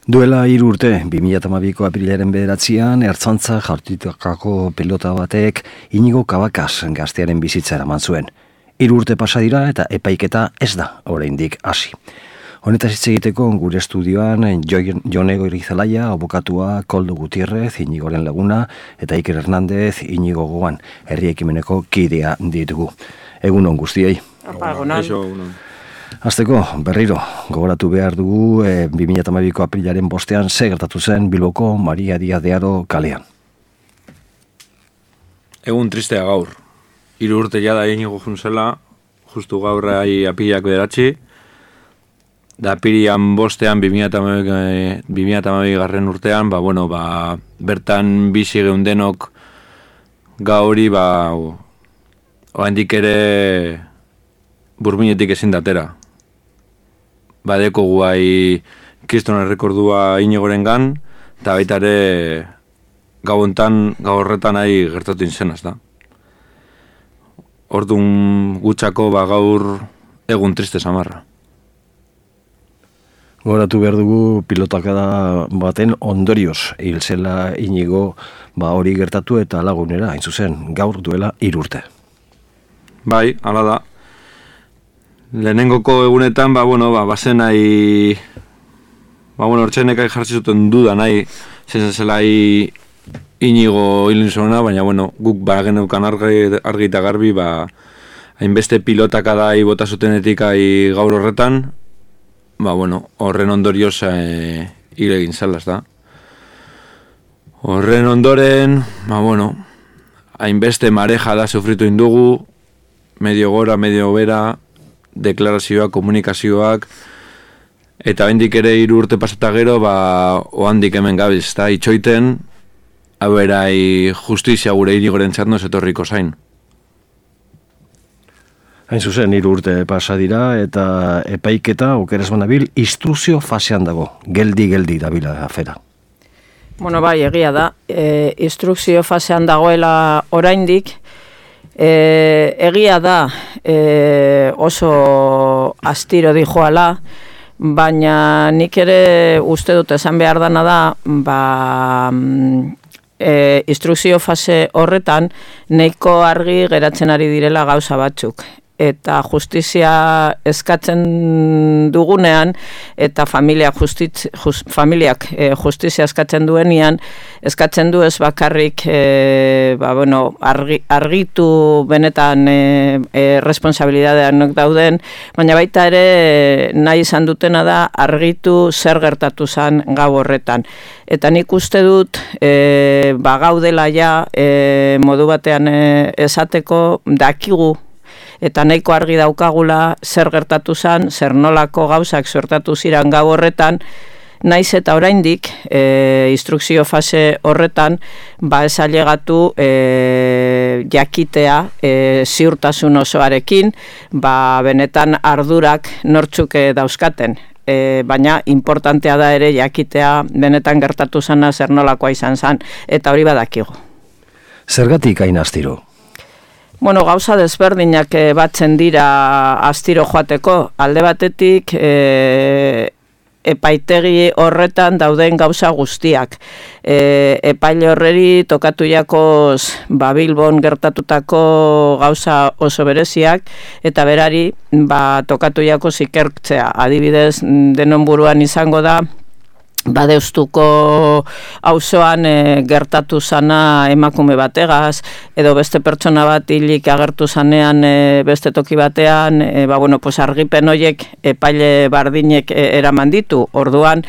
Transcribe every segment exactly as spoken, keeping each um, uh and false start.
Duela hiru urte, bi mila hamabiko apirilaren bederatzian, Ertzaintza jartutako pilota batek Inigo Cabacas gaztearen bizitza eraman zuen. Hiru urte pasa dira eta epaiketa ez da oraindik hasi. Honetaz hitz egiteko gure estudioan Jone Goirizelaia, abokatua, Koldo Gutierrez, Inigoren laguna, eta Iker Hernández, Inigo Gogoan, herri ekimeneko kidea ditugu. Egunon guztiei. Egunon. Azteko, berriro, gogoratu behar dugu e, bi mila hamabiko aprilaren bostean ze gertatu zen Bilboko Maria Diaz de Haro kalean. Egun tristea gaur. Hiru urte jada Inigo junzela, justu gaur apilak bederatzi, da apirian bostean bi mila hamabi garren urtean, ba, bueno, ba, bertan bizi geundenok gauri, ba, oandik ere burminetik ezin datera. Badeko guai kriston errekordua Inigoren gan, eta baita ere gauontan, gaurretan nahi gertatu inzenaz da. Orduan gutxako ba gaur egun triste samarra. Gogoratu behar dugu pilotakada baten ondorioz hil zela Inigo ba hori gertatu eta lagunera, hain zuzen, gaur duela hiru urte. Bai, hala da. Lehenengoko egunetan, ba, bueno, ba, bazen nahi, ba, bueno, hortxenek jartzi zuten duda nahi, zen zela Inigo hilin zuena, baina, bueno, guk ba geneukan argi, argi eta garbi, ba, hainbeste pilotakada bota zutenetik ai gaur horretan, ba, bueno, horren ondorioz e, hil egin zalaz da. Horren ondoren, ba, bueno, hainbeste mareja da sufritu indugu, medio gora, medio bera, deklarazioak, komunikazioak, eta bendik ere hiru urte pasata gero, ba, oandik hemen gabiz, eta itxoiten, hau erai justizia gure Inigoren txatnoz etorriko zain. Hain zuzen, hiru urte pasa dira, eta epaiketa, okeres banabil, instrukzio fasean dago, geldi-geldi dabila afera. Bueno, bai, egia da, e, instrukzio fasean dagoela oraindik, E, egia da e, oso astiro dijoala, baina nik ere uste dut esan behar dana da, ba, e, instrukzio fase horretan nahiko argi geratzen ari direla gauza batzuk. Eta justizia eskatzen dugunean, eta familiak, justiz, just, familiak e, justizia eskatzen duenean, eskatzen du ez bakarrik e, ba, bueno, argi, argitu benetan e, e, responsabilidadean dauden, baina baita ere nahi izan dutena da argitu zer gertatu zen gau horretan. Eta nik uste dut e, ba, gaudela ja e, modu batean e, esateko dakigu, eta nahiko argi daukagula zer gertatu zen, zer nolako gauzak suertatu ziren gau horretan, naiz eta oraindik e, instrukzio fase horretan ba ez ailegatu e, jakitea e, ziurtasun osoarekin, ba benetan ardurak nortzuk dauzkaten. E, baina importantea da ere jakitea benetan gertatu zena zer nolakoa izan zen, eta hori badakigu. Zergatik hain astiro? Bueno, gauza desberdinak e, batzen dira astiro joateko. Alde batetik e, epaitegi horretan dauden gauza guztiak. E, epaile horreri tokatu jakoz ba, Bilbon gertatutako gauza oso bereziak, eta berari ba, tokatu jakoz ikertzea. Adibidez, denon buruan izango da, Badeustuko auzoan e, gertatu zana emakume bategaz, edo beste pertsona bat hilik agertu zanean e, beste toki batean, e, ba, bueno, pues argipen horiek epaile bardinek e, eraman ditu. Orduan,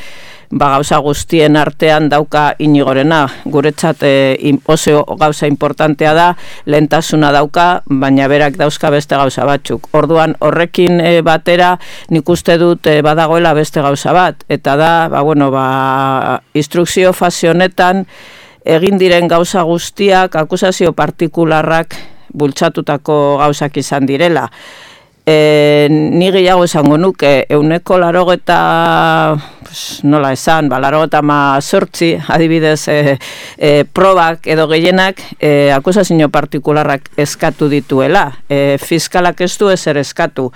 ba, gauza guztien artean dauka Inigorena. Guretzat e, oso gauza importantea da, lehentasuna dauka, baina berak dauzka beste gauza batzuk. Orduan, horrekin e, batera, nik uste dut e, badagoela beste gauza bat, eta da, ba, bueno, ba, instrukzio fase honetan egin diren gauza guztiak akusazio partikularrak bultzatutako gauzak izan direla. E, ni gehiago esango nuke, euneko larogeta, pues, nola esan, ba, larogeta ma sortzi, adibidez, e, e, probak edo gehienak e, akusazio partikularrak eskatu dituela. E, fiskalak ez du ezer eskatu.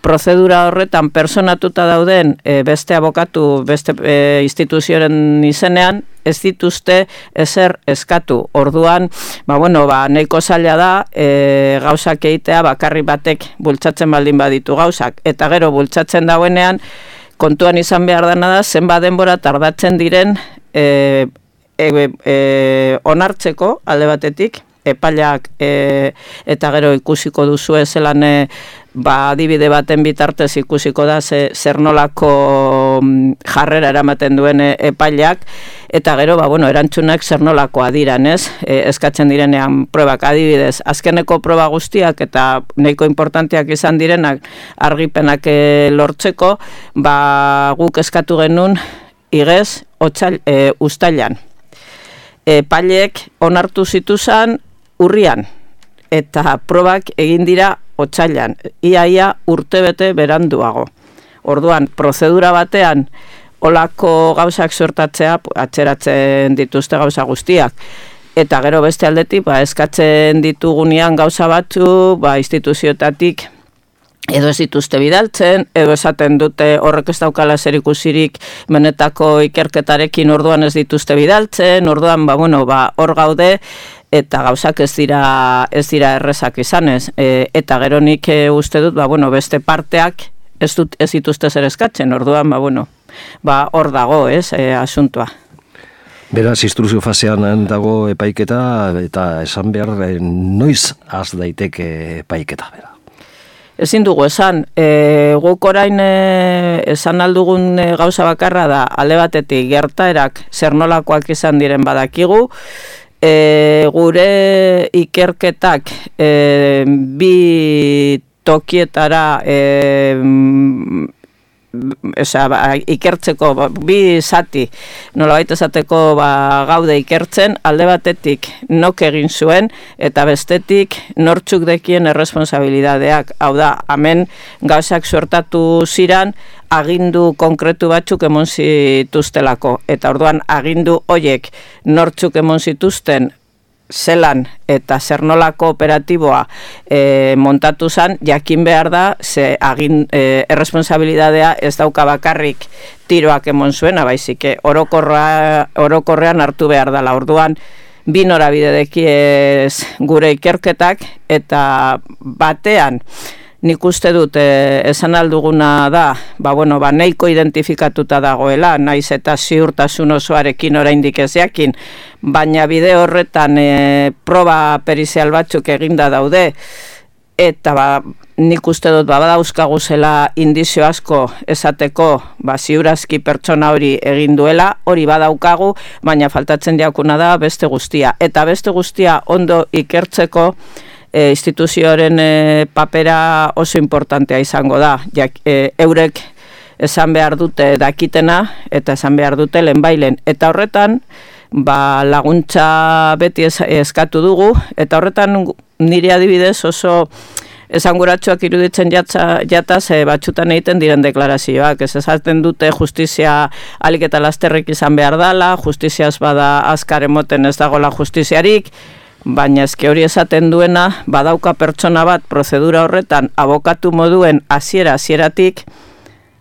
Prozedura horretan personatuta dauden e, beste abokatu, beste e, instituzioaren izenean, ez dituzte ezer eskatu. Orduan, ba, bueno, ba, nahiko zaila da e, gauzak egitea bakarri batek bultzatzen baldin baditu gauzak. Eta gero bultzatzen dauenean, kontuan izan behar dena da, zenba denbora tardatzen diren e, e, e, onartzeko alde batetik, epaileak e, eta gero ikusiko duzu zelan e, ba, adibide baten bitartez ikusiko da ze, zer nolako jarrera eramaten duen epaileak, eta gero ba, bueno, erantzunak zer nolakoa diran, ez? E, eskatzen direnean probak, adibidez, azkeneko proba guztiak eta nahiko importanteak izan direnak argipenak e, lortzeko, ba, guk eskatu genuen igez otsail, e, uztailan. Epaileek onartu zituzan urrian, eta probak egin dira otsailan, iaia urtebete beranduago. Orduan, prozedura batean, olako gauzak suertatzea, atzeratzen dituzte gauza guztiak. Eta gero beste aldetik, ba, eskatzen ditugunean gauza batzu, ba, instituzioetatik, edo ez dituzte bidaltzen, edo esaten dute horrek ez daukala zerikusirik benetako ikerketarekin orduan ez dituzte bidaltzen, orduan, ba, bueno, ba, hor gaude, eta gauzak ez dira ez dira errezak izanez. E, eta gero nik e, uste dut, ba, bueno, beste parteak ez, dut, ez dituzte zer eskatzen, orduan, ba, bueno, ba, hor dago, ez, e, asuntua. Beraz, instruzio fasean dago epaiketa, eta esan behar, e, noiz az daiteke epaiketa, bera? Ezin dugu esan, e, guk orain e, esan aldugun e, gauza bakarra da, alde batetik gertaerak zer nolakoak izan diren badakigu, e, gure ikerketak e, bi tokietara e, Esa, ba, ikertzeko ba, bi zati nolabait esateko ba, gaude ikertzen, alde batetik nok egin zuen eta bestetik nortzuk dekien erresponsabilidadeak. Hau da, hemen gauzak suertatu ziran agindu konkretu batzuk emon zituztelako, eta orduan agindu hoiek nortzuk emon zituzten zelan eta zer nolako operatiboa e, montatu zen, jakin behar da, ze agin, e, erresponsabilidadea ez dauka bakarrik tiroak emon zuena, baizik, orokorra, orokorrean hartu behar dela. Orduan, bi norabide dekiez gure ikerketak, eta batean, nik uste dut, e, esan alduguna da, ba, bueno, ba, nahiko identifikatuta dagoela, naiz eta ziurtasun osoarekin oraindik ez jakin, baina bide horretan e, proba perizial batzuk eginda daude, eta ba, nik uste dut ba, badauzkagu zela indizio asko esateko ba, ziurazki pertsona hori egin duela, hori badaukagu, baina faltatzen jakuna da beste guztia. Eta beste guztia ondo ikertzeko, E, instituzioaren e, papera oso importantea izango da. Jak, e, eurek esan behar dute dakitena eta esan behar dute lehenbailen. Eta horretan ba, laguntza beti es, eskatu dugu, eta horretan nire adibidez oso esanguratsuak iruditzen jatza, jataz e, batxutan egiten diren deklarazioak. Ez esaten dute justizia alik eta lasterrik izan behar dala, justiziaz bada azkar emoten ez dagoela justiziarik, baina ezke hori esaten duena, badauka pertsona bat prozedura horretan abokatu moduen hasiera hasieratik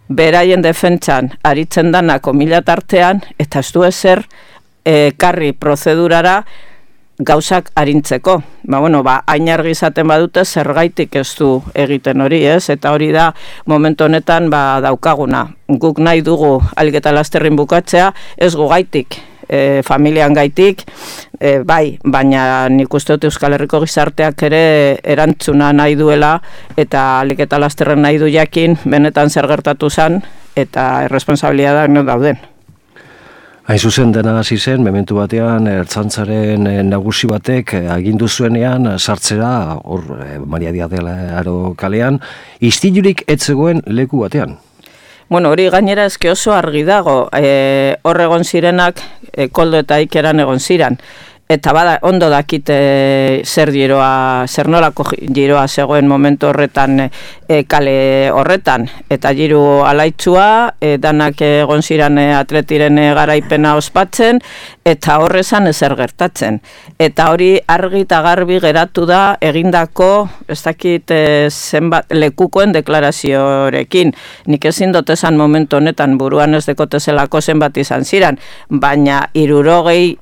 beraien defentsan aritzen danako mila tartean, eta ez du ezer e, karri prozedurara gauzak arintzeko. Ba, bueno, ba, hain argi izaten badute zergaitik ez du egiten hori, ez? Eta hori da momentu honetan ba, daukaguna. Guk nahi dugu ahalik eta lasterrin bukatzea, ez gu gaitik. E, familian gaitik, e, bai, baina nik uste dut Euskal Herriko gizarteak ere erantzuna nahi duela, eta ahalik eta lasterren nahi du jakin, benetan zer gertatu zen, eta erresponsabilidadak no dauden. Hain zuzen dena hasi zen, mementu batean, ertzaintzaren nagusi batek agindu zuenean sartzera, hor, Maria Diaz de Haro kalean, istilurik ez zegoen leku batean. Bueno, hori gainera eske oso argi dago, e, hor egon zirenak, e, Koldo eta Ikeran egon ziren. eta bada, ondo dakite zer giroa, zer nolako giroa zegoen momentu horretan e, kale horretan, eta giru alaitzua, e, danak egon ziren e, atletiren e, garaipena ospatzen, eta horrezan ezer gertatzen. Eta hori argi eta garbi geratu da egindako, ez dakit e, zenbat lekukoen deklaraziorekin. Nik ezin dut esan momentu honetan buruan ez dekotezelako zenbat izan ziren, baina hirurogei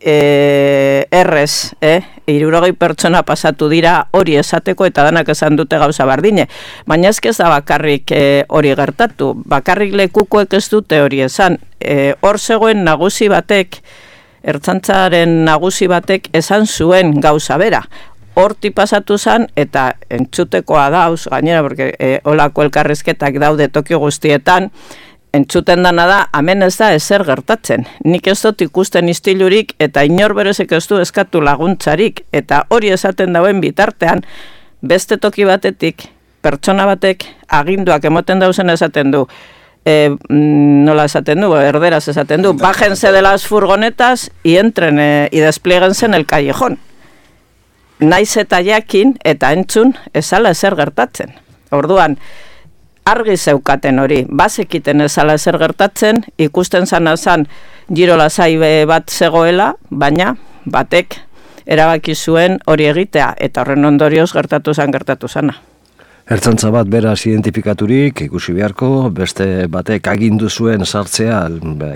E, errez, eh? hirurogei pertsona pasatu dira hori esateko eta danak esan dute gauza bardine. Baina ez ez da bakarrik e, hori gertatu, bakarrik lekukoek ez dute hori esan. E, hor zegoen nagusi batek, ertzaintzaren nagusi batek esan zuen gauza bera. Horti pasatu zen eta entzutekoa dauz, gainera, porque e, olako elkarrizketak daude toki guztietan, entzuten dana da, hemen ez da ezer gertatzen. Nik ez dut ikusten istilurik eta inor berezek ez du eskatu laguntzarik. Eta hori esaten dauen bitartean, beste toki batetik, pertsona batek aginduak emoten dauzen esaten du. E, nola esaten du, erderaz esaten du. Bájense de las furgonetas y entren e, y desplieguense en el callejón. Naiz eta jakin eta entzun ezala ezer gertatzen. Orduan, argi zeukaten hori, bazekiten ezala ezer gertatzen, ikusten zana zan giro lasai bat zegoela, baina batek erabaki zuen hori egitea, eta horren ondorioz gertatu zan gertatu zana. Ertzaintza bat beraz identifikaturik, ikusi beharko, beste batek agindu zuen sartzea,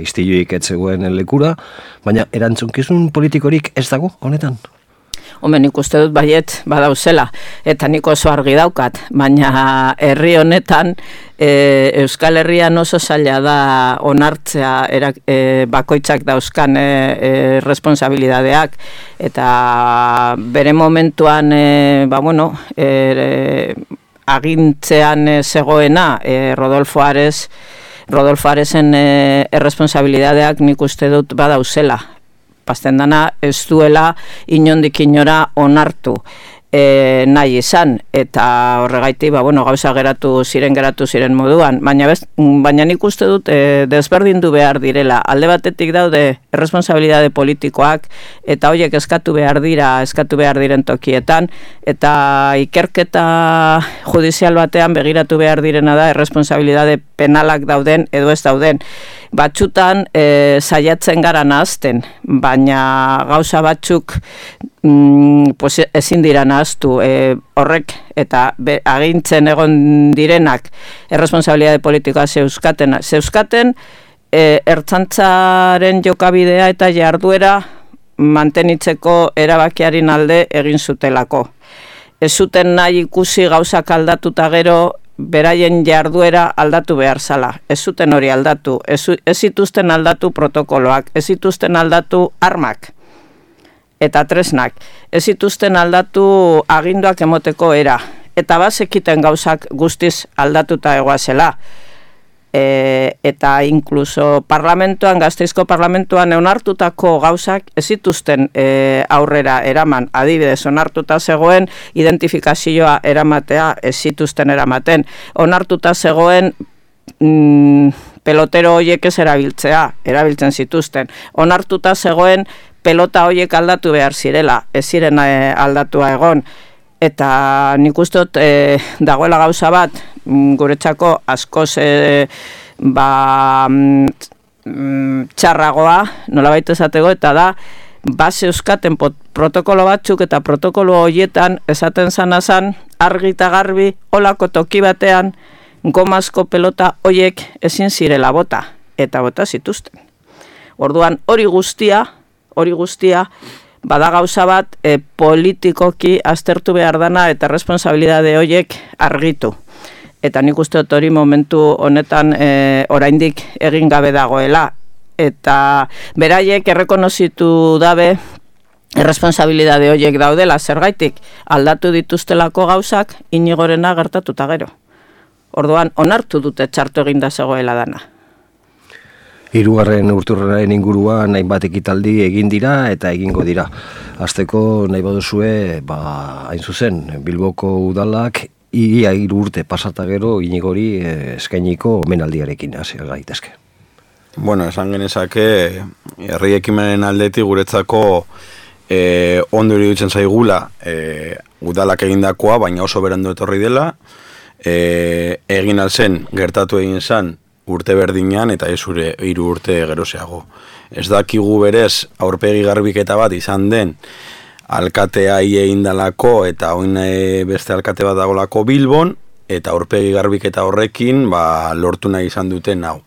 istiluik ez zegoen lekura, baina erantzunkizun politikorik ez dago honetan? Homen, nik uste dut baiet badauzela, eta nik oso argi daukat, baina herri honetan e, Euskal Herrian oso zaila da onartzea erak, e, bakoitzak dauzkan e, e, responsabilidadeak, eta bere momentuan e, ba, bueno, e, e, agintzean e, zegoena e, Rodolfo Ares, Rodolfo Aresen e, erresponsabilidadeak nik uste dut badauzela. Pasten dana ez duela inondik inora onartu e, nahi izan, eta horregaiti ba, bueno, gauza geratu ziren geratu ziren moduan, baina, bez, baina nik uste dut e, desberdindu behar direla. Alde batetik daude erresponsabilidade politikoak, eta horiek eskatu behar dira, eskatu behar diren tokietan, eta ikerketa judizial batean begiratu behar direna da erresponsabilidade penalak dauden edo ez dauden. Batzutan e, saiatzen gara nahazten, baina gauza batzuk mm, pues ezin dira nahaztu. E, horrek eta be, agintzen egon direnak erresponsabilidade politikoa zeuskaten, zeuskaten e, ertzaintzaren jokabidea eta jarduera mantenitzeko erabakiaren alde egin zutelako. Ez zuten nahi ikusi gauzak aldatuta gero, beraien jarduera aldatu behar zala. Ez zuten hori aldatu, ez, ez zituzten aldatu protokoloak, ez zituzten aldatu armak eta tresnak, ez zituzten aldatu aginduak emoteko era, eta bazekiten gauzak guztiz aldatuta egoazela. E, eta inkluso parlamentuan, Gasteizko parlamentuan onartutako gauzak ez zituzten e, aurrera eraman. Adibidez, onartuta zegoen identifikazioa eramatea ez zituzten eramaten. Onartuta zegoen mm, pelotero hoiek ez erabiltzea, erabiltzen zituzten. Onartuta zegoen pelota hoiek aldatu behar zirela, ez ziren e, aldatua egon. Eta nik uste dut e, dagoela gauza bat, guretzako askoz e, ba, mm, txarragoa, nolabait esateko, eta da, base euskaten protokolo batzuk eta protokolo horietan esaten zana zan, argi eta garbi, olako toki batean, gomazko pelota hoiek ezin zirela bota, eta bota zituzten. Orduan hori guztia, hori guztia, bada gauza bat e, politikoki aztertu behar dana eta responsabilidade horiek argitu. Eta nik uste dut hori momentu honetan e, oraindik egin gabe dagoela. Eta beraiek errekonozitu dabe erresponsabilidade horiek daudela, zergaitik aldatu dituztelako gauzak Inigorena gertatuta gero. Orduan onartu dute txartu eginda zegoela dana. Hirugarren urturraren inguruan hainbat ekitaldi egin dira eta egingo dira. Hasteko nahi baduzue, ba, hain zuzen, Bilboko udalak ia hiru urte pasata gero Inigori eskainiko omenaldiarekin hasi gaitezke. Bueno, esan genezake herri ekimenen aldetik guretzako e, ondo iruditzen zaigula e, udalak egindakoa, baina oso berandu etorri dela, e, egin alzen, gertatu egin zen, urte berdinean eta ez ure hiru urte gerozeago. Ez dakigu berez aurpegi garbiketa bat izan den alkatea egin dalako eta oin beste alkate bat dagolako Bilbon eta aurpegi garbiketa horrekin ba, lortu nahi izan duten hau.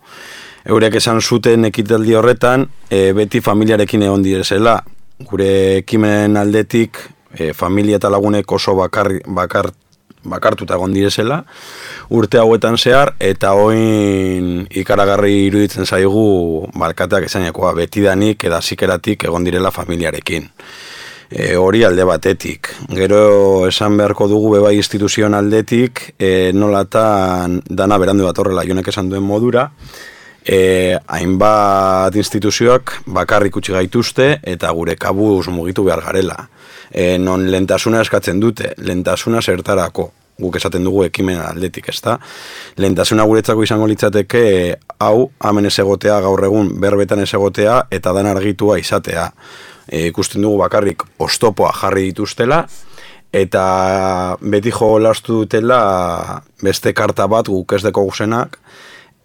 Eurek esan zuten ekitaldi horretan e, beti familiarekin egon direzela. Gure ekimenen aldetik e, familia eta lagunek oso bakar, bakar, bakartuta egon direzela urte hauetan zehar, eta oin ikaragarri iruditzen zaigu balkateak esanekoa betidanik eda zikeratik egon direla familiarekin. E, hori alde batetik. Gero esan beharko dugu bebai instituzioen aldetik, e, nolatan dana berandu datorrela jonek esan duen modura, e, hainbat instituzioak bakarrik utzi gaituzte eta gure kabuz mugitu behar garela. E, non lehentasuna eskatzen dute, lehentasuna zertarako. Guk esaten dugu ekimen aldetik, ezta? Lehentasuna guretzako izango litzateke hau, hemen ez egotea, gaur egun berbetan ez egotea eta dan argitua izatea. E, ikusten dugu bakarrik oztopoa jarri dituztela eta beti jolastu dutela beste karta bat guk ez deko guzenak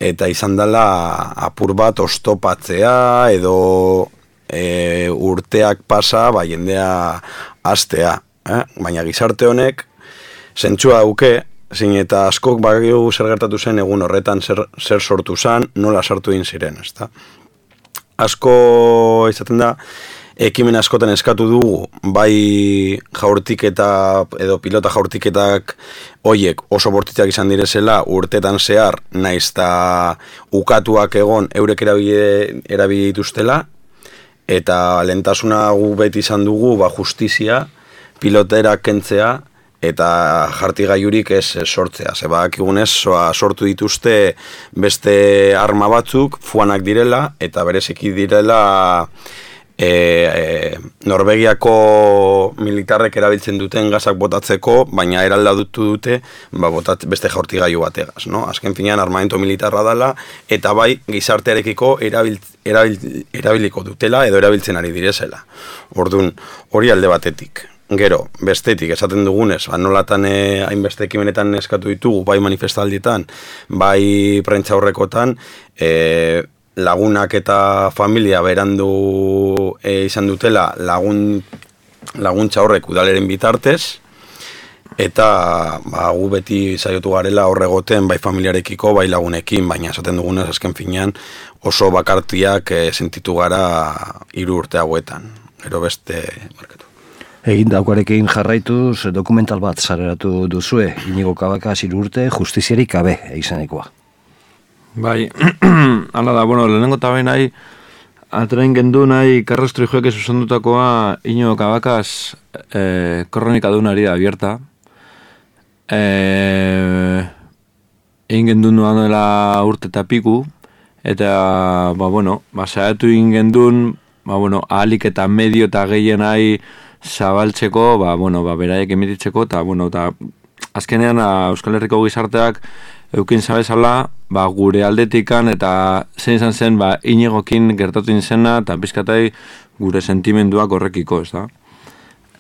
eta izan dela apur bat oztopatzea edo e, urteak pasa ba, jendea hastea. Eh? Baina gizarte honek zentzua dauke, zein eta askok bagiu zer gertatu zen egun horretan zer, zer sortu zen, nola sartu egin ziren, ezta? Asko izaten da, ekimen askotan eskatu dugu, bai jaurtiketa edo pilota jaurtiketak hoiek oso bortitzak izan direzela urtetan zehar, naiz eta ukatuak egon eurek erabili, erabili dituztela, eta lehentasuna gu beti izan dugu ba, justizia, pilotera kentzea, eta jartigailurik ez sortzea. Zebak egunez sortu dituzte beste arma batzuk, fuanak direla, eta bereziki direla e, e, Norvegiako militarrek erabiltzen duten gazak botatzeko, baina eraldatu dute ba, botat, beste jaurtigailu bategaz. No? Azken finean armamento militarra dela, eta bai gizartearekiko erabil, erabil, erabiliko dutela edo erabiltzen ari direzela. Orduan, hori alde batetik. Gero, bestetik, esaten dugunez, nolatan eh, hainbeste ekimenetan eskatu ditugu, bai manifestaldietan, bai prentza horrekotan, eh, lagunak eta familia berandu eh, izan dutela lagun, laguntza horrek udaleren bitartez, eta ba, gu beti saiotu garela horregoten, bai familiarekiko, bai lagunekin, baina esaten dugunez, azken finean, oso bakartiak eh, sentitu gara hiru urte hauetan. Gero beste marketu. Egin daukarekin jarraituz dokumental bat sareratu duzue, Inigo Cabacas hiru urte justiziarik gabe izanekoa. Bai, hala da, bueno, lehenengo eta behin nahi, atrein gendu nahi Carlos Trijuek zuzendutakoa Inigo Cabacas eh, kronika dunari da abierta. Eh, egin gendu nuan dela urte eta piku, eta, ba, bueno, ba, saiatu egin gendun, ba, bueno, ahalik eta medio eta gehien nahi zabaltzeko, ba, bueno, ba, beraiek emititzeko, eta, bueno, eta azkenean a, Euskal Herriko gizarteak eukin zabezala, ba, gure aldetikan, eta zein izan zen, ba, Inigokin gertatu izena, eta pizkatai gure sentimenduak horrekiko, ez da.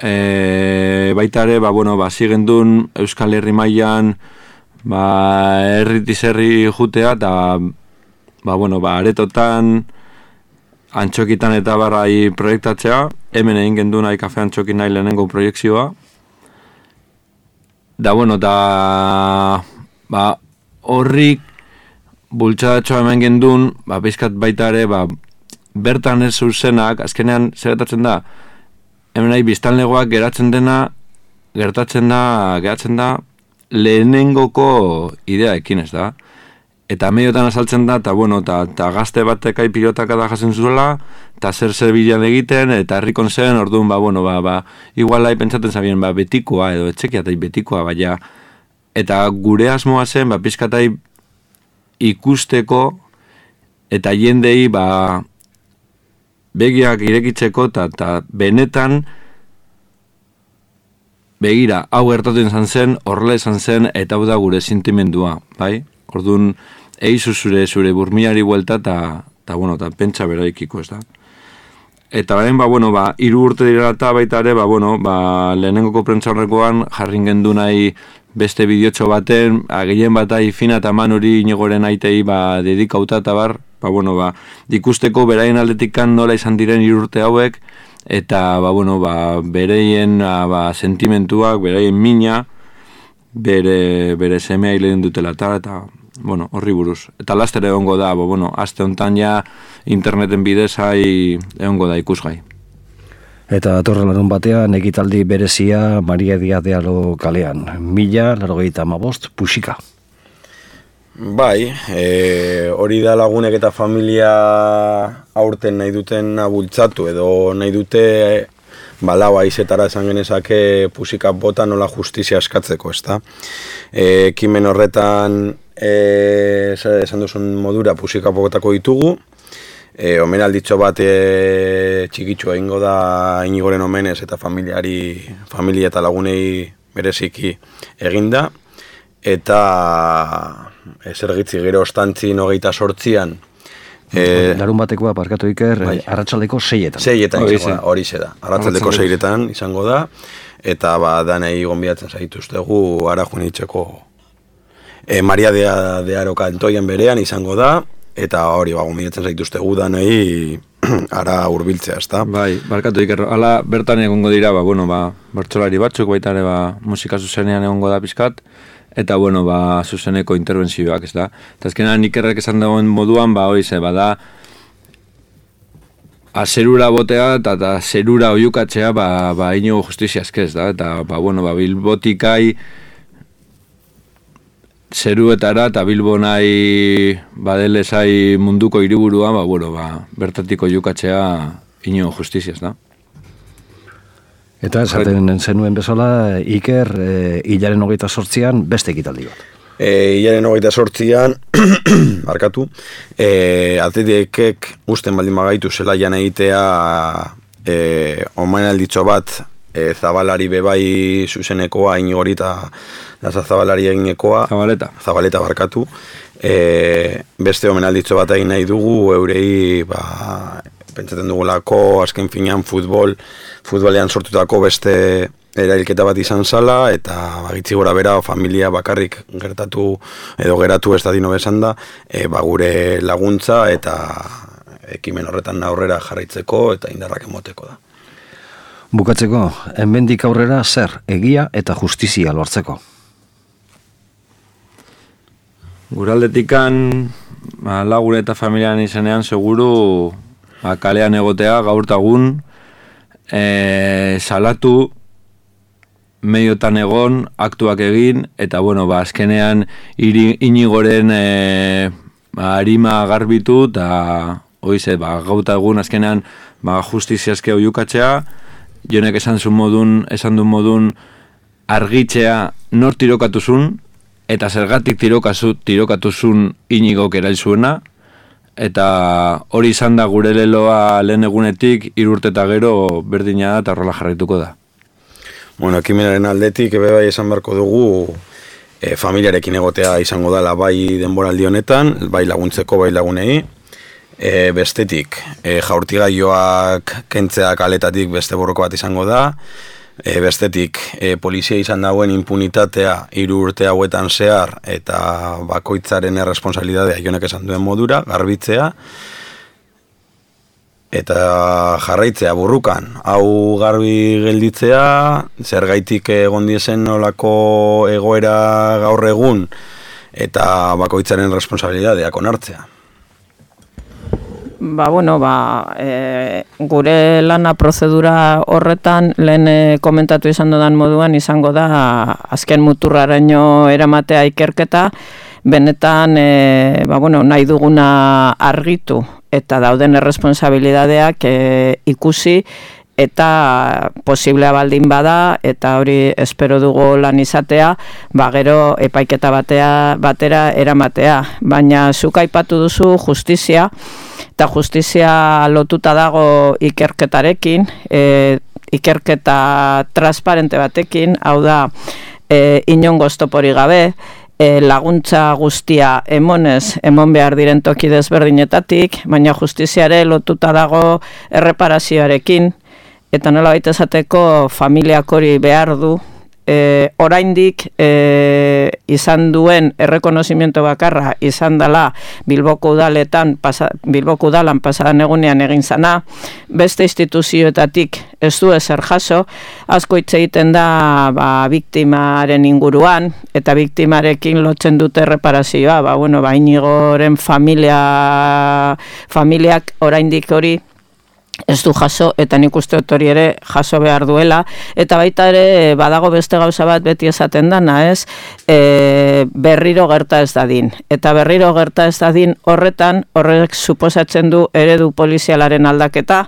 E, baita ere, ba, bueno, ba, zigendun Euskal Herri mailan, ba, herritiz herri jutea, eta, ba, bueno, ba, aretotan, antxokitan eta barrai proiektatzea, hemen egin gendu nahi kafe antxokin nahi lehenengo proiektzioa. Da, bueno, da, ba, horrik bultzadatxoa hemen gendun, ba, bizkat baita ere, ba, bertan ez zuzenak, azkenean zeretatzen da, hemen nahi biztanlegoak geratzen dena, gertatzen da, geratzen da, lehenengoko ideaekin ez da. Eta mediotan azaltzen da, eta bueno, eta gazte batekai pilotaka da jasen zuela, eta zer zer bilan egiten, eta herrikon zen, orduan, ba, bueno, ba, ba, igual lai pentsaten zabien, ba, betikoa, edo etxekiatai betikoa, baina, eta gure asmoa zen, ba, pizkatai ikusteko, eta jendei, ba, begiak irekitzeko, eta benetan, begira, hau gertatu izan zen, horrela izan zen, eta hau da gure sentimendua, bai? Orduan, eizu zure, zure burmiari buelta eta, eta, bueno, eta pentsa beraikiko, ez da. eta orain, ba, bueno, ba, hiru urte dira eta baita ere, ba, bueno, ba, lehenengoko prentsaurrekoan jarrin gendu nahi beste bideotxo baten, gehien bat fina eta man hori Inigoren aitei, ba, dedikauta eta bar, ba, bueno, ba, ikusteko beraien aldetikan nola izan diren hiru urte hauek, eta, ba, bueno, ba, bereien, ba, sentimentuak, bereien mina, bere, bere semea hilen dutela eta, eta, bueno, horri buruz. Eta laster egongo da, bo, bueno, aste hontan ja interneten bidez hai egongo da ikusgai. Eta datorren larun batean ekitaldi berezia Maria Diaz de Aro kalean. Mila, laurogeita hamabost, Puxika. Bai, e, hori da lagunek eta familia aurten nahi duten bultzatu edo nahi dute balau aizetara esan genezake Puxika bota nola justizia eskatzeko, ezta? E, ekimen horretan e, esan duzun modura Puxika botako ditugu, e, omenalditxo bat e, txikitxo egingo da Inigoren omenez eta familiari, familia eta lagunei bereziki eginda, eta zergitzi gero ostantzin hogeita sortzian, E, Larun batekoa parkatu iker, bai. Arratsaldeko seietan. Seietan izango da, hori ze da. Arratsaldeko seietan izango da, eta ba, danei gonbidatzen zaituztegu ara joan itxeko e, Maria de, de Aro kantoien berean izango da, eta hori ba, gonbidatzen zaituztegu danei ara hurbiltzea, ezta? Bai, barkatu iker, ala bertan egongo dira, ba, bueno, ba, bertsolari batzuk, baita ere, ba, musika zuzenean egongo da pizkat, eta, bueno, ba, zuzeneko interbentzioak, ez da. Eta azkenean Ikerrek esan dagoen moduan, ba, hori ze, bada, azerura botea eta, eta zerura oiukatzea, ba, ba, Inigo justizia eskez, da. Eta, ba, bueno, ba, Bilbotikai zeruetara eta Bilbonai badelezai munduko hiriburua, ba, bueno, ba, bertatik oiukatzea Inigo justizia, ez da. Eta esaten zenuen bezala, Iker, e, hilaren hogeita sortzian beste ekitaldi bat. E, hilaren hogeita sortzian, barkatu, e, atletikek usten baldin magaitu zela jan egitea e, omenalditxo bat e, Zabalari bebai zuzenekoa, Inigori eta Zabalari eginekoa. Zabaleta. Zabaleta barkatu. E, beste omenalditxo bat egin nahi dugu, eurei, ba, pentsaten dugulako, azken finean futbol, futbolean sortutako beste erailketa bat izan zala, eta bagitzi gora bera, familia bakarrik gertatu, edo geratu ez da dino besan da, e, ba, gure laguntza eta ekimen horretan aurrera jarraitzeko eta indarrak emoteko da. Bukatzeko, hemendik aurrera zer, egia eta justizia lortzeko? Guraldetikan, ba, lagun eta familian izenean seguru, ba, kalean egotea gaurtagun, e, salatu, mediotan egon, aktuak egin, eta, bueno, ba, azkenean Inigoren e, ba, arima garbitu, eta, oize, ba, gaurtagun azkenean, ba, justiziazke oiukatzea, jonek esan zuen modun, esan duen modun, argitzea nor tirokatuzun, eta zergatik tirokazu, tirokatuzun Inigok erail zuena, eta hori izan da gure leloa lehen egunetik, hiru urte eta gero berdina da eta horrela jarraituko da. Bueno, ekimenaren aldetik, ebe bai esan beharko dugu, e, familiarekin egotea izango dela bai denboraldi honetan, bai laguntzeko, bai lagunei. E, bestetik, e, jaurtigaioak kentzea kaletatik beste borroko bat izango da. E, bestetik, e, polizia izan dagoen impunitatea hiru urte hauetan zehar eta bakoitzaren erresponsabilidadea jonek esan duen modura, garbitzea eta jarraitzea burrukan. Hau garbi gelditzea, zergaitik egon diezen nolako egoera gaur egun eta bakoitzaren erresponsabilidadeak onartzea. Ba, bueno, ba, e, gure lana prozedura horretan lehen e, komentatu izan dudan moduan izango da azken muturraraino eramatea ikerketa, benetan e, ba, bueno, nahi duguna argitu eta dauden erresponsabilidadeak e, ikusi eta posiblea baldin bada eta hori espero dugu lan izatea, ba gero epaiketa batea batera eramatea, baina zuk aipatu duzu justizia eta justizia lotuta dago ikerketarekin, e, ikerketa transparente batekin, hau da e, inongo oztopori gabe, e, laguntza guztia emonez, emon behar diren toki desberdinetatik, baina justiziare lotuta dago erreparazioarekin, eta nola baita esateko familiak hori behar du, E, oraindik e, izan duen errekonozimiento bakarra izan dela Bilboko udaletan pasa, Bilboko udalan pasadan egunean egin zana, beste instituzioetatik ez du ezer jaso, asko hitz egiten da ba, biktimaren inguruan, eta biktimarekin lotzen dute erreparazioa, ba, bueno, ba, Inigoren familia, familiak oraindik hori ez du jaso, eta nik uste dut hori ere jaso behar duela, eta baita ere badago beste gauza bat beti esaten dana, ez, e, berriro gerta ez dadin, eta berriro gerta ez dadin horretan, horrek suposatzen du eredu polizialaren aldaketa,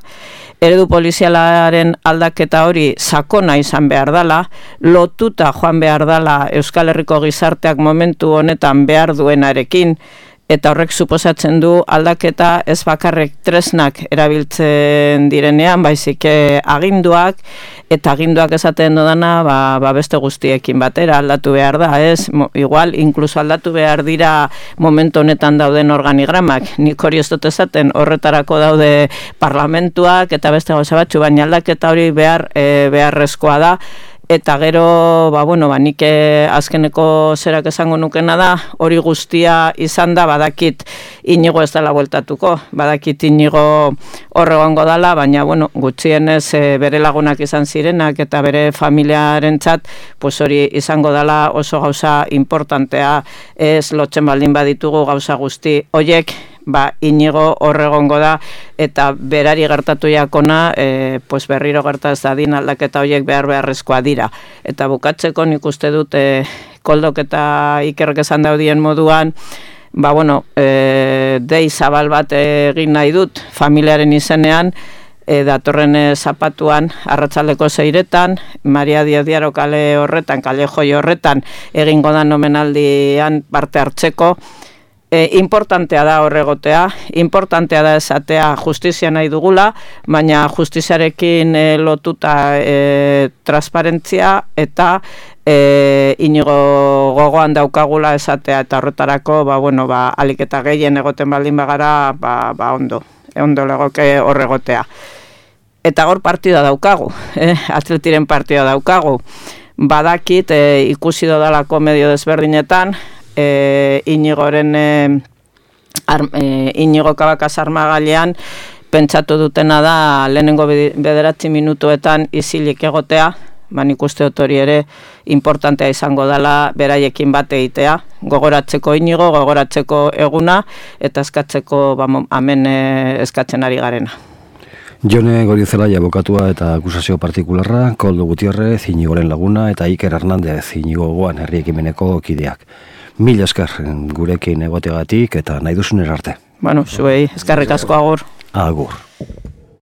eredu polizialaren aldaketa hori sakona izan behar dala, lotuta joan behar dala Euskal Herriko gizarteak momentu honetan behar duenarekin, eta horrek suposatzen du aldaketa ez bakarrek tresnak erabiltzen direnean, baizik aginduak, eta aginduak esaten dodana ba, ba beste guztiekin batera aldatu behar da, ez? Igual, inkluso aldatu behar dira momentu honetan dauden organigramak, nik hori ez dut esaten, horretarako daude parlamentuak eta beste gauza batzu, baina aldaketa hori behar, e, beharrezkoa da, eta gero, ba, bueno, ba, nik azkeneko zerak esango nukena da, hori guztia izan da, badakit Inigo ez dela bueltatuko, badakit Inigo horregongo dela, baina, bueno, gutxienez e, bere lagunak izan zirenak, eta bere familiarentzat, pues hori izango dela oso gauza importantea, ez lotzen baldin baditugu gauza guzti hoiek, ba, Inigo horregongo da, eta berari gertatu jakona, e, pues berriro gerta ez dadin aldaketa horiek behar beharrezkoa dira. Eta bukatzeko nik uste dut, e, Koldok eta Ikerrek esan daudien moduan, ba, bueno, e, dei zabal bat egin nahi dut, familiaren izenean, e, datorren e, zapatuan, arratsaldeko seiretan, Maria Diaz Diaro kale horretan, kale joi horretan, egingo da omenaldian parte hartzeko. E, importantea da horregotea, importantea da esatea justizia nahi dugula, baina justiziarekin e, lotuta e, transparentzia eta e, Inigo gogoan daukagula esatea, eta horretarako, ba, bueno, ba, alik eta gehien egoten baldin bagara, ba, ba ondo, ondo legoke horregotea. Eta hor partida daukagu, eh? Atletiren partida daukagu, badakit e, ikusi dodalako medio desberdinetan, E, Inigoren e, ar, e, Inigo Kabakaz armagailean pentsatu dutena da lehenengo bederatzi minutuetan isilik egotea, ban ikuste dut hori ere importantea izango dela beraiekin bat egitea, gogoratzeko Inigo, gogoratzeko eguna, eta eskatzeko ba, hemen e, eskatzen ari garena. Jone Gorizelaia abokatua eta akusazio partikularra, Koldo Gutierrez, Inigoren laguna, eta Iker Hernandez, Inigo gogoan herri ekimeneko kideak. Mil esker gurekin egotegatik eta nahi duzun erarte. Bueno, zuei, eskerrik asko agur. Agur.